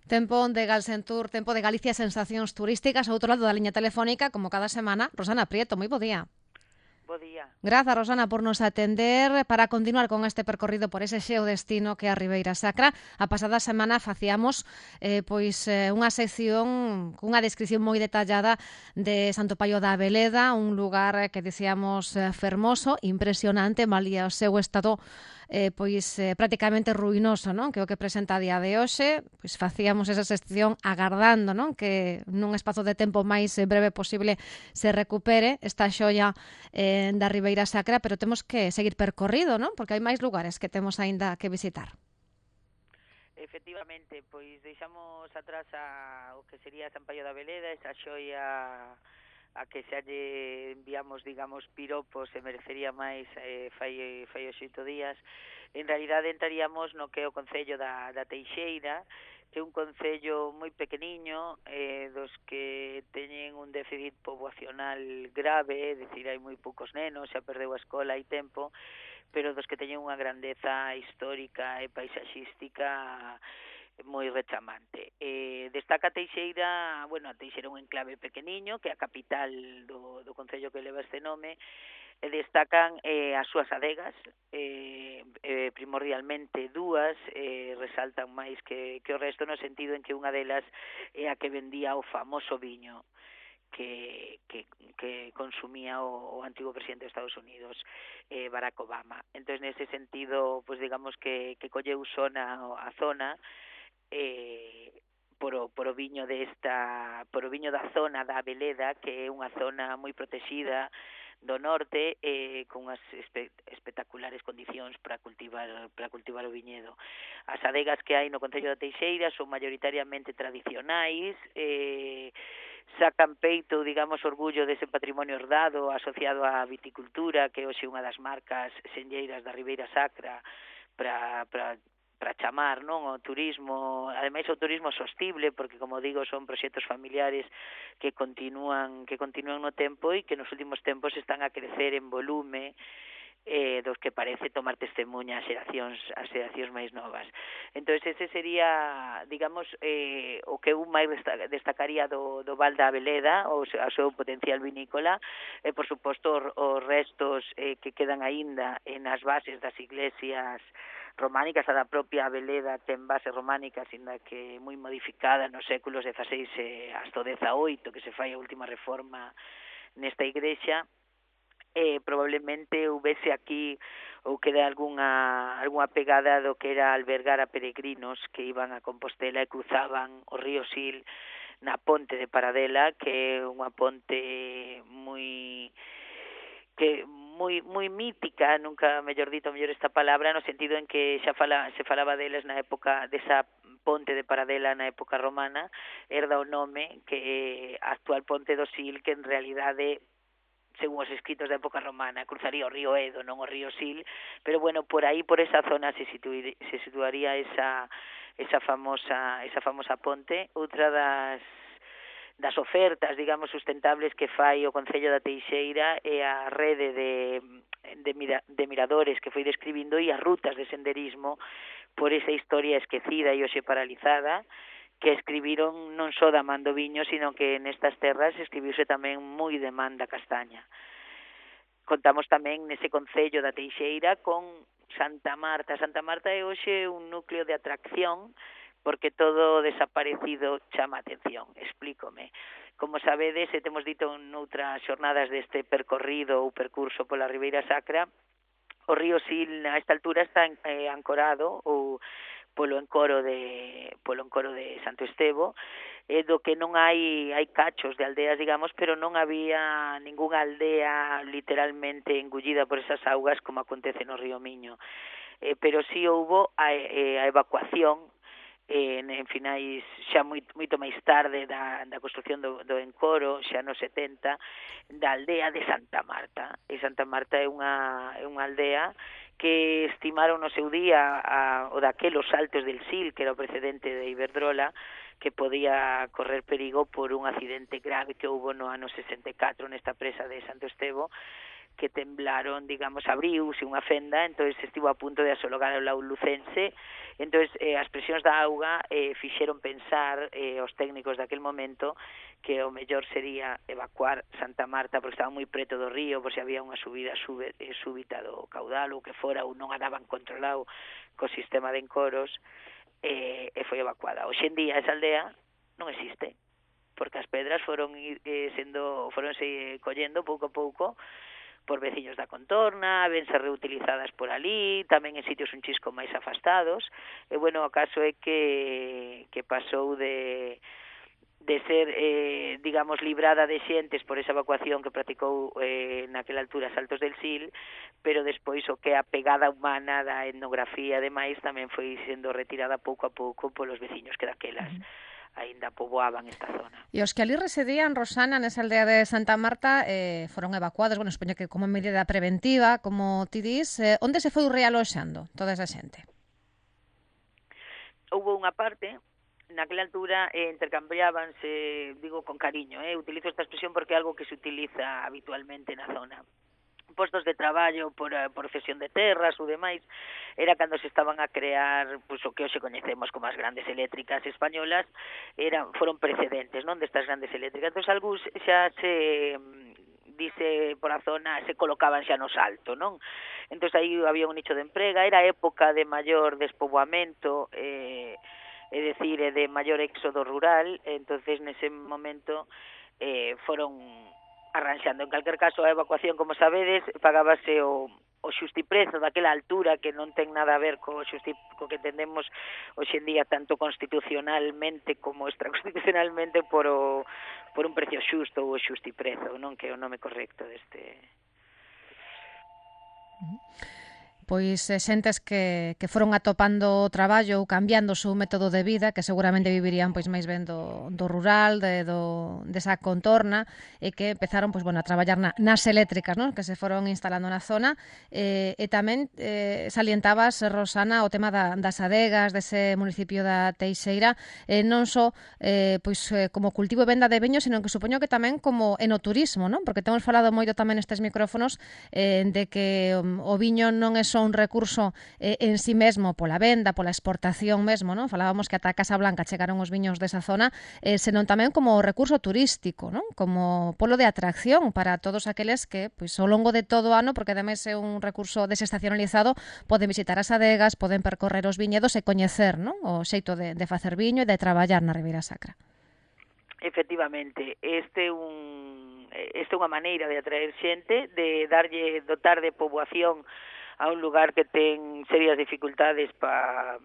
Tempo de Galsentur, tempo de Galicia Sensacións Turísticas, ao outro lado da liña telefónica, como cada semana, Rosana Prieto, moi bo día. Bo día. Grazas, Rosana, por nos atender para continuar con este percorrido por ese xeo destino que é a Ribeira Sacra. A pasada semana facíamos unha sección cunha descripción moi detallada de Santo Paio da Abeleda, un lugar que dicíamos fermoso, impresionante, malía o seu estado prácticamente ruinoso, non? Que é o que presenta a día de hoxe. Pois facíamos esa sección agardando, non? Que nun espazo de tempo máis breve posible se recupere esta xoia da Ribeira Sacra, pero temos que seguir percorrido, non? Porque hai máis lugares que temos aínda que visitar. Efectivamente, pois deixamos atrás o que sería San Paio da Veleda, esa xoia a que xa lle enviamos, digamos, piropos e merecería máis fai os 8 días. En realidade entraríamos no que é o Concello da Teixeira, que é un concello moi pequeniño, dos que teñen un déficit poboacional grave, é dicir, hai moi poucos nenos, xa perdeu a escola hai tempo, pero dos que teñen unha grandeza histórica e paisaxística moi rechamante. Destaca Teixeira, bueno, a Teixeira é un enclave pequeniño, que é a capital do concello que leva este nome, e destacan as súas adegas, primordialmente dúas, resaltan máis que o resto no sentido en que unha delas é a que vendía o famoso viño que consumía o antigo presidente de Estados Unidos, Barack Obama. Entón, nese sentido, pues digamos que colleu a zona por o viño da zona da Abeleda, que é unha zona moi protexida do norte, con unhas espectaculares condicións para cultivar o viñedo. As adegas que hai no Concello da Teixeira son maioritariamente tradicionais, sacan peito, digamos, orgullo dese patrimonio herdado asociado á viticultura, que hoxe é unha das marcas senlleiras da Ribeira Sacra para chamar, non, o turismo, ademais o turismo sostible, porque como digo, son proxectos familiares que continúan no tempo e que nos últimos tempos están a crecer en volume, dos que parece tomar testemunha as xeracións máis novas. Entón, ese sería, digamos, o que eu máis destacaría do Val da Abeleda, o seu potencial vinícola, e, por suposto, os restos que quedan aínda nas bases das iglesias románicas. A da propia Abeleda ten bases románicas, ainda que moi modificada nos séculos XVI hasta o XVIII, que se fai a última reforma nesta igrexa. Probablemente houvese aquí ou queda algunha pegada do que era albergar a peregrinos que iban a Compostela e cruzaban o río Sil na ponte de Paradela, que é unha ponte moi mítica, nunca mellor dito, mellor esta palabra, no sentido en que xa se falaba deles na época desa ponte de Paradela na época romana, herda o nome que a actual ponte do Sil, que en realidade, según os escritos da época romana, cruzaría o río Edo, non o río Sil, pero bueno, por aí, por esa zona se situaría esa famosa ponte. Outra das ofertas, digamos, sustentables que fai o Concello da Teixeira é a rede de miradores que foi describindo e as rutas de senderismo por esa historia esquecida e hoxe paralizada, que escribiron non só da man do viño, sino que nestas terras escribiuse tamén moi de man da castaña. Contamos tamén nese Concello da Teixeira con Santa Marta. Santa Marta é hoxe un núcleo de atracción porque todo desaparecido chama a atención. Explícome. Como sabedes, e temos dito noutras xornadas deste percorrido ou percurso pola Ribeira Sacra, o río Sil a esta altura está ancorado ou polo encoro de Santo Estevo, do que non hai cachos de aldeas, digamos, pero non había ningunha aldea literalmente engullida por esas augas como acontece no río Miño. Pero sí houbo a evacuación en finais xa moito máis tarde da construcción do encoro, xa nos 70, da aldea de Santa Marta. E Santa Marta é unha aldea que estimaron no seu día o daquelos saltos del Sil, que era o precedente de Iberdrola, que podía correr perigo por un accidente grave que houbo no ano 64 nesta presa de Santo Estevo, que temblaron, digamos, abriuse unha fenda, entón estivo a punto de asologar o lado lucense, entón as presións da auga fixeron pensar os técnicos daquel momento que o mellor sería evacuar Santa Marta porque estaba moi preto do río, por se había unha subida súbita do caudal ou que fora, ou non andaban controlado co sistema de encoros, e foi evacuada. Hoxe en día esa aldea non existe, porque as pedras foronse collendo pouco a pouco por veciños da contorna, vense reutilizadas por ali, tamén en sitios un chisco máis afastados, e bueno, o caso é que pasou de ser, digamos, librada de xentes por esa evacuación que practicou naquela altura Saltos del Sil, pero despois o que a pegada humana da etnografía e demais tamén foi sendo retirada pouco a pouco polos veciños que daquelas aínda poboaban esta zona. E os que ali residían, Rosana, nesa aldea de Santa Marta, foron evacuados, bueno, supoño que como medida preventiva, como ti dis, onde se foi realoxando toda esa xente? Houve unha parte, naquela altura intercambiábanse, digo con cariño, utilizo esta expresión porque é algo que se utiliza habitualmente na zona, postos de traballo por cesión de terras ou demais, era cando se estaban a crear pues, o que hoxe coñecemos como as grandes eléctricas españolas, foron precedentes non destas grandes eléctricas. Entón, algúns xa se dice por a zona, se colocaban xa no Salto, non? Entón, aí había un nicho de emprega, era época de maior despoboamento, é dicir, de maior éxodo rural, entonces nese momento foron arranxando. En calquer caso, a evacuación, como sabedes, pagábase o xustiprezo daquela altura que non ten nada a ver co que entendemos hoxe en día tanto constitucionalmente como extraconstitucionalmente por un precio xusto ou xustiprezo, non, que é o nome correcto deste. Pois xentes que foron atopando traballo ou cambiando o seu método de vida, que seguramente vivirían pois máis ben do rural, desa contorna, e que empezaron pois, bueno, a traballar nas eléctricas, non? Que se foron instalando na zona, e tamén salientabas, Rosana, o tema das adegas dese municipio da Teixeira, non só pois como cultivo e venda de viño, sino que supoño que tamén como enoturismo, non? Porque temos falado moito tamén nestes micrófonos de que o viño non é só un recurso en sí mesmo pola venda, pola exportación mesmo, non? Falábamos que ata a Casa Blanca chegaron os viños desa zona, senón tamén como recurso turístico, non? Como polo de atracción para todos aqueles que, pois, ao longo de todo o ano, porque ademais é un recurso desestacionalizado, poden visitar as adegas, poden percorrer os viñedos e coñecer, non? O xeito de facer viño e de traballar na Ribeira Sacra. Efectivamente, este é unha maneira de atraer xente, de dotar de poboación a un lugar que ten serias dificultades para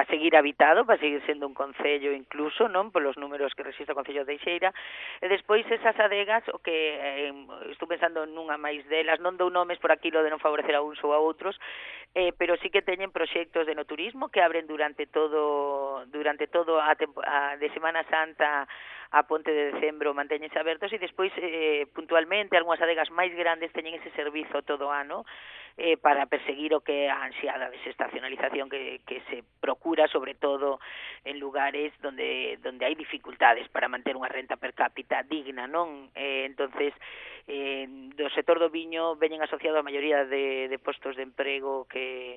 seguir habitado, para seguir sendo un concello incluso, non, polos números que resiste o Concello de Teixeira, e despois esas adegas, o que estou pensando nunha máis delas, non dou nomes por aquilo de non favorecer a uns ou a outros, pero sí que teñen proxectos de enoturismo que abren durante todo a de Semana Santa a Ponte de Decembro mantéñense abertos, e despois puntualmente algunhas adegas máis grandes teñen ese servizo todo o ano para perseguir o que é a ansiada desestacionalización que se procura, sobre todo en lugares donde hai dificultades para manter unha renta per cápita digna, non? Entonces, do sector do viño veñen asociado a maioría de postos de emprego que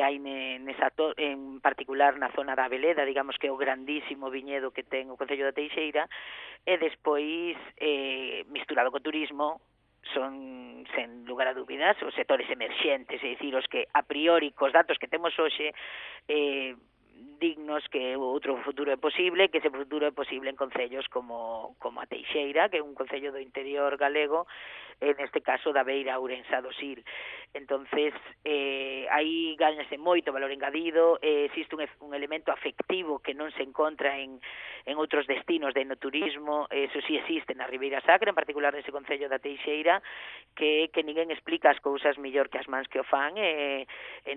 hai en particular na zona da Veleda, digamos que é o grandísimo viñedo que ten o Concello da Teixeira, e despois misturado co turismo son, sen lugar a dúbidas, os sectores emerxentes, é dicir, os que a priori cos datos que temos hoxe dignos que outro futuro é posible, que ese futuro é posible en concellos como a Teixeira, que é un concello do interior galego, neste caso da beira ourensa do Sil. Entonces, aí gañase moito valor engadido, existe un elemento afectivo que non se encontra en outros destinos de enoturismo, eso sí existe na Ribeira Sacra, en particular nese concello da Teixeira, que ninguén explica as cousas mellor que as mans que o fan, e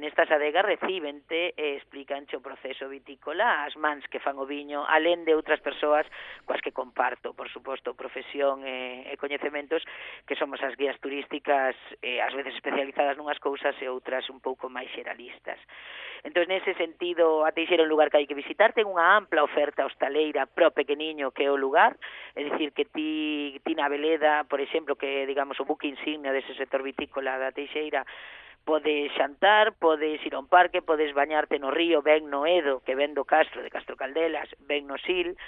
nestas adegas recíbente e explicanche o proceso vitícola, as mans que fan o viño, alén de outras persoas coas que comparto, por suposto, profesión e coñecementos, que somos as guías turísticas, ás veces especializadas nunhas cousas e outras un pouco máis xeralistas. Entón, nese sentido, a Teixeira é un lugar que hai que visitar, ten unha ampla oferta hostaleira pro pequeniño que é o lugar, é dicir, que ti na Veleda, por exemplo, que digamos o buque insignia dese sector vitícola da Teixeira, podes xantar, podes ir a un parque, podes bañarte no río, ben no Edo, que ven do Castro, de Castro Caldelas, ben no Sil,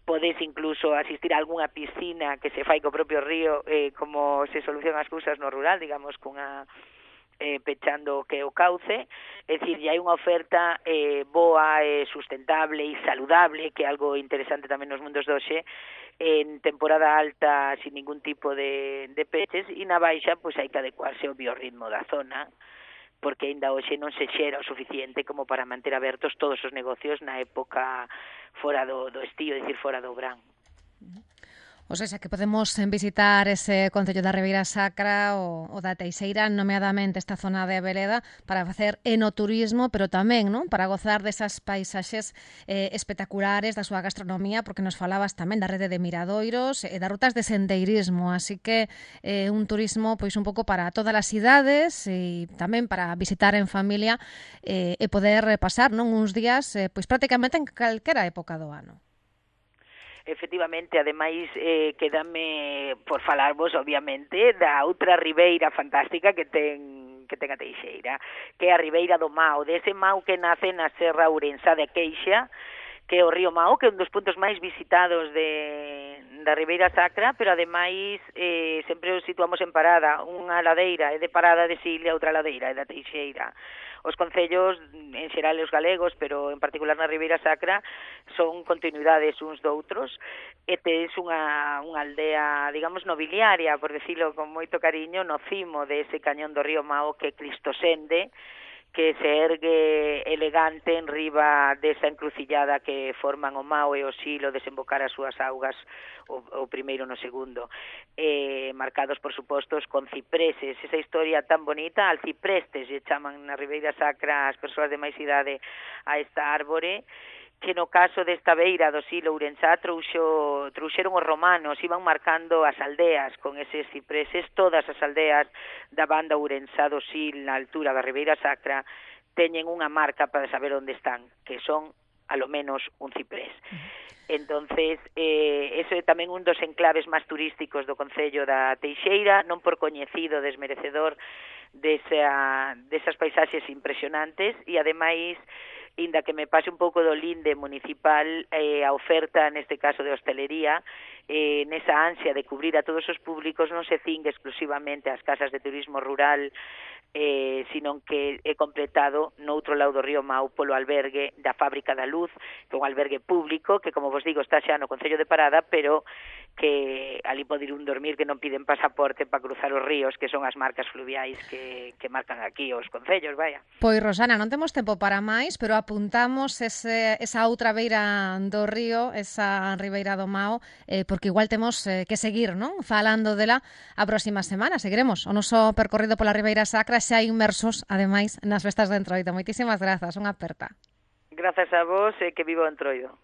podes incluso asistir a algunha piscina que se fai co propio río, como se solucionan as cousas no rural, digamos, cunha pechando que o cauce, é dicir, hai unha oferta boa, sustentable e saludable, que é algo interesante tamén nos mundos doxe, en temporada alta sin ningún tipo de peches, e na baixa pois hai que adecuarse ao biorritmo da zona, porque aínda hoxe non se xera o suficiente como para manter abertos todos os negocios na época fora do estío, é dicir, fora do verán. O sea, que podemos visitar ese concello da Ribeira Sacra o da Teixeira, nomeadamente esta zona de Veleda, para facer enoturismo, pero tamén, non, para gozar desas paisaxes espectaculares da súa gastronomía, porque nos falabas tamén da rede de miradoiros e das rutas de sendeirismo, así que un turismo pois un pouco para todas as idades e tamén para visitar en familia e poder pasar, non, uns días pois prácticamente en calquera época do ano. Efectivamente, ademais, quedame por falarvos, obviamente, da outra ribeira fantástica que ten a Teixeira, que é a Ribeira do Mao, dese Mao que nace na Serra Ourensá de Queixa, que é o río Mao, que é un dos puntos máis visitados da Ribeira Sacra, pero ademais sempre os situamos en parada, unha ladeira é de Parada de Sil e outra ladeira é da Teixeira. Os concellos, en xeral os galegos, pero en particular na Ribeira Sacra, son continuidades uns doutros, e tes unha aldea, digamos, nobiliaria, por decirlo con moito cariño, no cimo de ese cañón do río Mao, que é Cristosende, que se ergue elegante en riba desa encrucillada que forman o Mao e o Sil ao desembocar as súas augas o primeiro no segundo, marcados por supostos con cipreses, esa historia tan bonita, alciprestes lle chaman na Ribeira Sacra as persoas de máis idade a esta árbore, que no caso desta beira do Sil Ourensá trouxeron os romanos, iban marcando as aldeas con eses cipreses, todas as aldeas da banda Ourensá do Sil na altura da Ribeira Sacra teñen unha marca para saber onde están, que son a lo menos un ciprés. Entonces, eso é tamén un dos enclaves máis turísticos do concello da Teixeira, non por coñecido, desmerecedor desas paisaxes impresionantes, e ademais, inda que me pase un pouco do linde municipal, a oferta, neste caso de hostelería, nesa ansia de cubrir a todos os públicos, non se cingue exclusivamente ás casas de turismo rural, sino que é completado no outro lado do río Mao polo albergue da Fábrica da Luz, que é un albergue público que, como vos digo, está xa no concello de Parada, pero que ali pode ir un dormir que non piden pasaporte para cruzar os ríos, que son as marcas fluviais que marcan aquí os concellos, vaya. Pois, Rosana, non temos tempo para máis, pero apuntamos esa outra beira do río, esa Ribeira do Mao, porque igual temos que seguir, non, falando dela a próxima semana. Seguiremos o noso percorrido pola Ribeira Sacra, xa inmersos, ademais, nas festas de Entroido. Moitísimas grazas, unha aperta. Grazas a vos e que viva o Entroido.